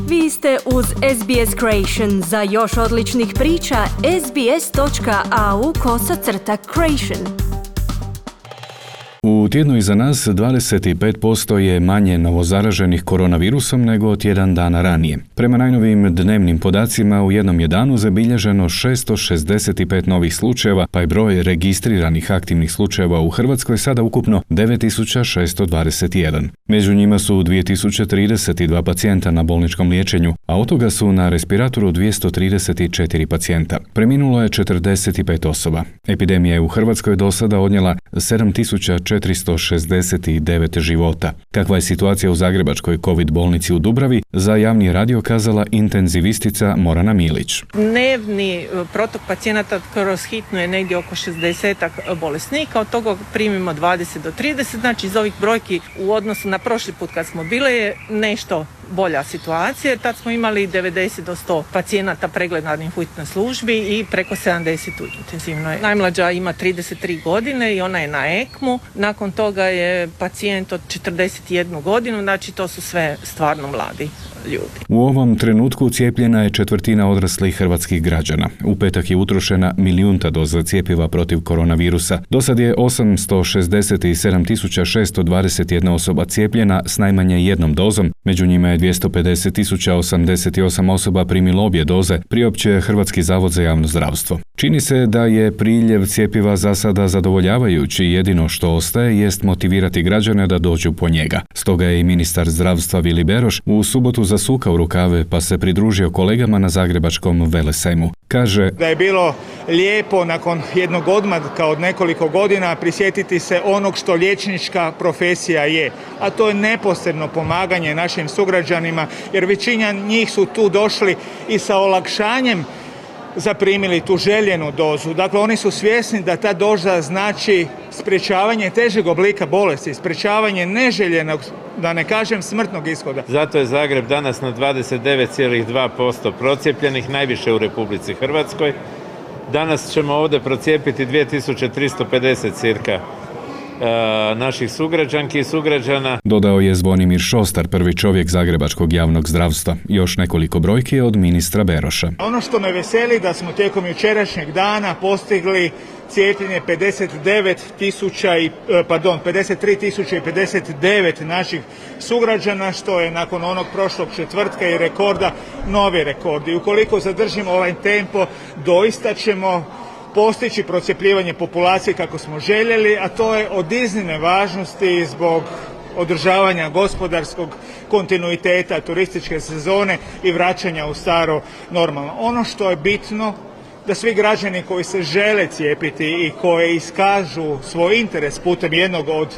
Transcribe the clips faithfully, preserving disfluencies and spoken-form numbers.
Vi ste uz S B S Creation. Za još odličnih priča, sbs.au kosacrta creation. U tjednu iza nas dvadeset pet posto je manje novozaraženih koronavirusom nego tjedan dana ranije. Prema najnovijim dnevnim podacima u jednom je danu zabilježeno šesto šezdeset pet novih slučajeva, pa je broj registriranih aktivnih slučajeva u Hrvatskoj sada ukupno devet tisuća šesto dvadeset jedan. Među njima su dvije tisuće trideset dva pacijenta na bolničkom liječenju, a od toga su na respiratoru dvjesto trideset četiri pacijenta. Preminulo je četrdeset pet osoba. Epidemija je u Hrvatskoj do sada odnijela sedam tisuća četiristo šezdeset devet života. Kakva je situacija u zagrebačkoj COVID bolnici u Dubravi, za javni radio kazala intenzivistica Morana Milić. Dnevni protok pacijenata kroz hitnu je negdje oko šezdeset bolesnika, od toga primimo dvadeset do trideset, znači iz ovih brojki u odnosu na prošli put kad smo bile je nešto bolja situacija. Tad smo imali devedeset do sto pacijenata pregledanih u hitnoj službi i preko sedamdeset u intenzivnoj. Najmlađa ima trideset tri godine i ona je na ekmu. Nakon toga je pacijent od četrdeset jednu godinu, znači to su sve stvarno mladi ljudi. U ovom trenutku cijepljena je četvrtina odraslih hrvatskih građana. U petak je utrošena milijunta doza cjepiva protiv koronavirusa. Do sad je osamsto šezdeset sedam tisuća šesto dvadeset jedna osoba cijepljena s najmanje jednom dozom, među njima je dvjesto pedeset tisuća osamdeset osam osoba primilo obje doze, priopćuje Hrvatski zavod za javno zdravstvo. Čini se da je priljev cjepiva za sada zadovoljavajući, jedino što ostaje jest motivirati građane da dođu po njega. Stoga je i ministar zdravstva Vili Beroš u subotu zasukao rukave pa se pridružio kolegama na zagrebačkom Velesajmu. Kaže da je bilo lijepo nakon jednog odmatka od nekoliko godina prisjetiti se onog što liječnička profesija je, a to je neposredno pomaganje našim sugrađanima, jer većina njih su tu došli i sa olakšanjem zaprimili tu željenu dozu. Dakle, oni su svjesni da ta doza znači sprječavanje težeg oblika bolesti, sprječavanje neželjenog, da ne kažem smrtnog ishoda. Zato je Zagreb danas na dvadeset devet zarez dva posto procijepljenih, najviše u Republici Hrvatskoj. Danas ćemo ovdje procijepiti dvije tisuće tristo pedeset cirka naših sugrađanki i sugrađana. Dodao je Zvonimir Šostar, prvi čovjek zagrebačkog javnog zdravstva. Još nekoliko brojki od ministra Beroša. Ono što me veseli da smo tijekom jučerašnjeg dana postigli cijepljenje pedeset devet tisuća i pardon pedeset tri tisuće pedeset devet naših sugrađana, što je nakon onog prošlog četvrtka i rekorda novi rekord. I ukoliko zadržimo ovaj tempo, doista ćemo postići procjepljivanje populacije kako smo željeli, a to je od iznimne važnosti zbog održavanja gospodarskog kontinuiteta, turističke sezone i vraćanja u staro normalno. Ono što je bitno, da svi građani koji se žele cijepiti i koji iskažu svoj interes putem jednog od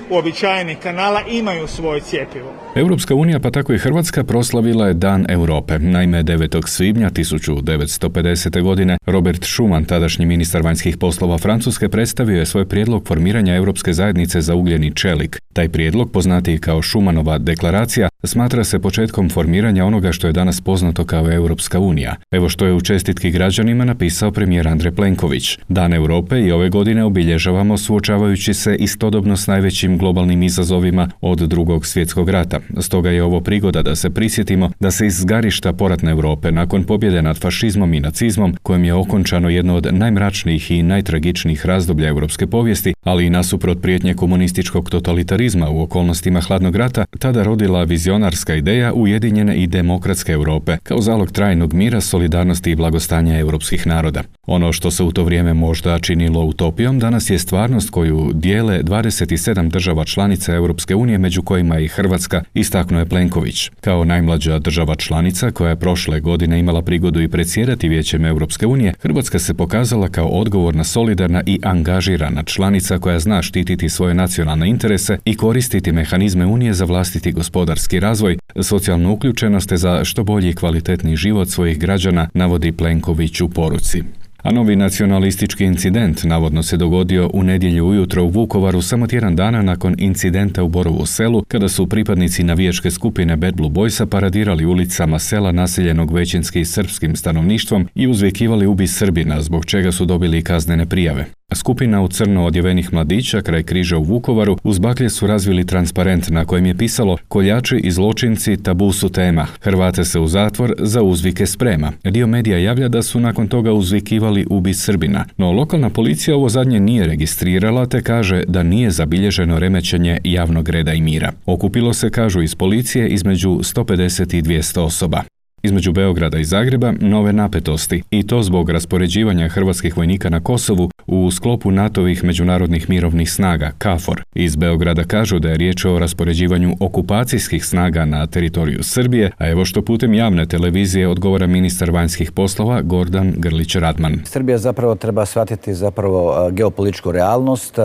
uobičajenih kanala imaju svoje cjepivo. Europska unija, pa tako i Hrvatska, proslavila je Dan Europe. Naime, devetog svibnja tisuću devetsto pedesete. godine Robert Schuman, tadašnji ministar vanjskih poslova Francuske, predstavio je svoj prijedlog formiranja Europske zajednice za ugljeni čelik. Taj prijedlog, poznatiji kao Schumanova deklaracija, smatra se početkom formiranja onoga što je danas poznato kao Europska unija. Evo što je u čestitki građanima napisao premijer Andrej Plenković. Dan Europe i ove godine obilježavamo suočavajući se istodobno s najvećim globalnim izazovima od Drugog svjetskog rata. Stoga je ovo prigoda da se prisjetimo da se iz zgarišta poratne Europe nakon pobjede nad fašizmom i nacizmom, kojem je okončano jedno od najmračnijih i najtragičnijih razdoblja europske povijesti, ali i nasuprot prijetnje komunističkog totalitarizma u okolnostima hladnog rata, tada rodila vizionarska ideja ujedinjene i demokratske Europe kao zalog trajnog mira, solidarnosti i blagostanja europskih naroda. Ono što se u to vrijeme možda činilo utopijom, danas je stvarnost koju dijele dvadeset sedam država članica Europske unije, među kojima i Hrvatska, istaknuo je Plenković. Kao najmlađa država članica koja je prošle godine imala prigodu i predsjedati Vijećem Europske unije, Hrvatska se pokazala kao odgovorna, solidarna i angažirana članica koja zna štititi svoje nacionalne interese i koristiti mehanizme Unije za vlastiti gospodarski razvoj, socijalnu uključenost te za što bolji i kvalitetni život svojih građana, navodi Plenković u poruci. A novi nacionalistički incident navodno se dogodio u nedjelju ujutro u Vukovaru, samo tjedan dana nakon incidenta u Borovu Selu, kada su pripadnici navijačke skupine Bad Blue Boysa paradirali ulicama sela naseljenog većinski srpskim stanovništvom i uzvikivali "Ubi Srbina", zbog čega su dobili kaznene prijave. Skupina u crno odjevenih mladića kraj križa u Vukovaru uz baklje su razvili transparent na kojem je pisalo "Koljači i zločinci tabu su tema. Hrvate se u zatvor za uzvike sprema." Dio medija javlja da su nakon toga uzvikivali "Ubi Srbina", no lokalna policija ovo zadnje nije registrirala te kaže da nije zabilježeno remećenje javnog reda i mira. Okupilo se, kažu iz policije, između sto pedeset i dvjesto osoba. Između Beograda i Zagreba nove napetosti, i to zbog raspoređivanja hrvatskih vojnika na Kosovu u sklopu natovih međunarodnih mirovnih snaga, KFOR. Iz Beograda kažu da je riječ o raspoređivanju okupacijskih snaga na teritoriju Srbije, a evo što putem javne televizije odgovara ministar vanjskih poslova Gordan Grlić Radman. Srbija zapravo treba shvatiti zapravo geopolitičku realnost.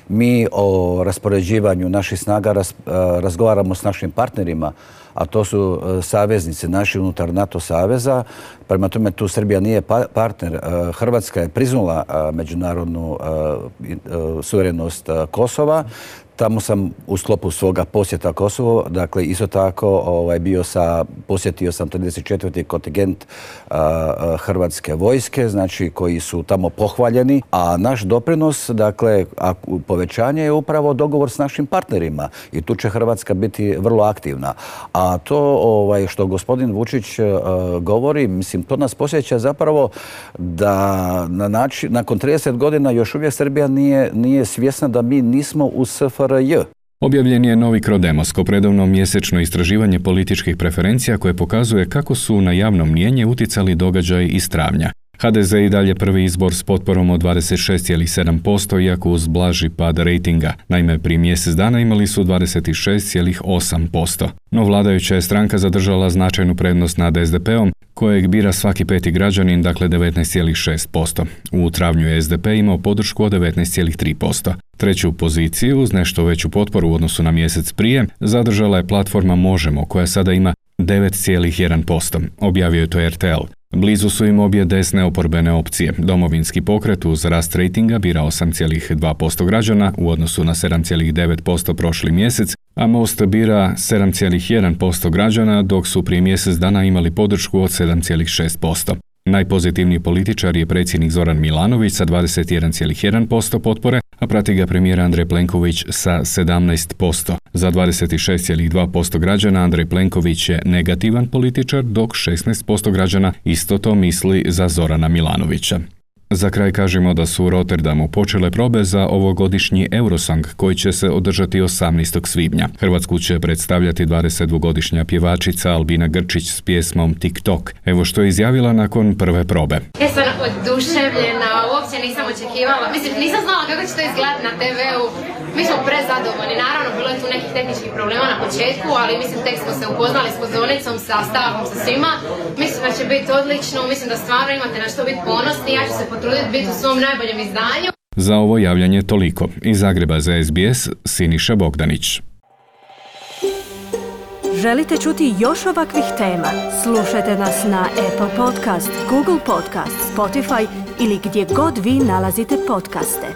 Mi o raspoređivanju naših snaga raz, razgovaramo s našim partnerima, a to su saveznici naši unutar NATO saveza. Prema tome tu Srbija nije partner. Hrvatska je priznala međunarodnu suverenost Kosova. Tamo sam u sklopu svoga posjeta Kosovo, dakle isto tako ovaj, bio sa, posjetio sam trideset četvrti kontingent uh, Hrvatske vojske, znači koji su tamo pohvaljeni, a naš doprinos, dakle a, povećanje je upravo dogovor s našim partnerima i tu će Hrvatska biti vrlo aktivna. A to ovaj, što gospodin Vučić uh, govori, mislim, to nas posjeća zapravo da na način, nakon trideset godina još uvijek Srbija nije, nije svjesna da mi nismo u S F R J. Objavljen je novi Krodemoskop, redovno mjesečno istraživanje političkih preferencija koje pokazuje kako su na javno mnijenje uticali događaji iz travnja. H D Z i dalje prvi izbor s potporom od dvadeset šest zarez sedam posto, iako uz blaži pad rejtinga. Naime, prije mjesec dana imali su dvadeset šest zarez osam posto. No vladajuća je stranka zadržala značajnu prednost nad S D P-om, kojeg bira svaki peti građanin, dakle devetnaest zarez šest posto. U travnju je S D P imao podršku od devetnaest zarez tri posto. Treću poziciju, uz nešto veću potporu u odnosu na mjesec prije, zadržala je platforma Možemo, koja sada ima devet zarez jedan posto. Objavio je to R T L. Blizu su im obje desne oporbene opcije. Domovinski pokret uz rast rejtinga bira osam zarez dva posto građana u odnosu na sedam zarez devet posto prošli mjesec, a Most bira sedam zarez jedan posto građana, dok su prije mjesec dana imali podršku od sedam zarez šest posto. Najpozitivniji političar je predsjednik Zoran Milanović sa dvadeset jedan zarez jedan posto potpore, a prati ga premijer Andrej Plenković sa sedamnaest posto. Za dvadeset šest zarez dva posto građana Andrej Plenković je negativan političar, dok šesnaest posto građana isto to misli za Zorana Milanovića. Za kraj kažemo da su u Rotterdamu počele probe za ovogodišnji Eurosong koji će se održati osamnaestog svibnja. Hrvatsku će predstavljati dvadesetdvogodišnja pjevačica Albina Grčić s pjesmom TikTok. Evo što je izjavila nakon prve probe. Ja sam oduševljena, uopće nisam očekivala, mislim nisam znala kako će to izgledati na te veu. Mi smo prezadovoljni, naravno bilo je tu nekih tehničkih problema na početku, ali mislim tek smo se upoznali s pozornicom, sa stavkom, sa svima. Mislim da će biti odlično, mislim da stvarno imate na što biti ponosni, ja ću se potruditi biti u svom najboljem izdanju. Za ovo javljanje toliko. Iz Zagreba za S B S, Siniša Bogdanić. Želite čuti još ovakvih tema? Slušajte nas na Apple Podcast, Google Podcast, Spotify ili gdje god vi nalazite podcaste.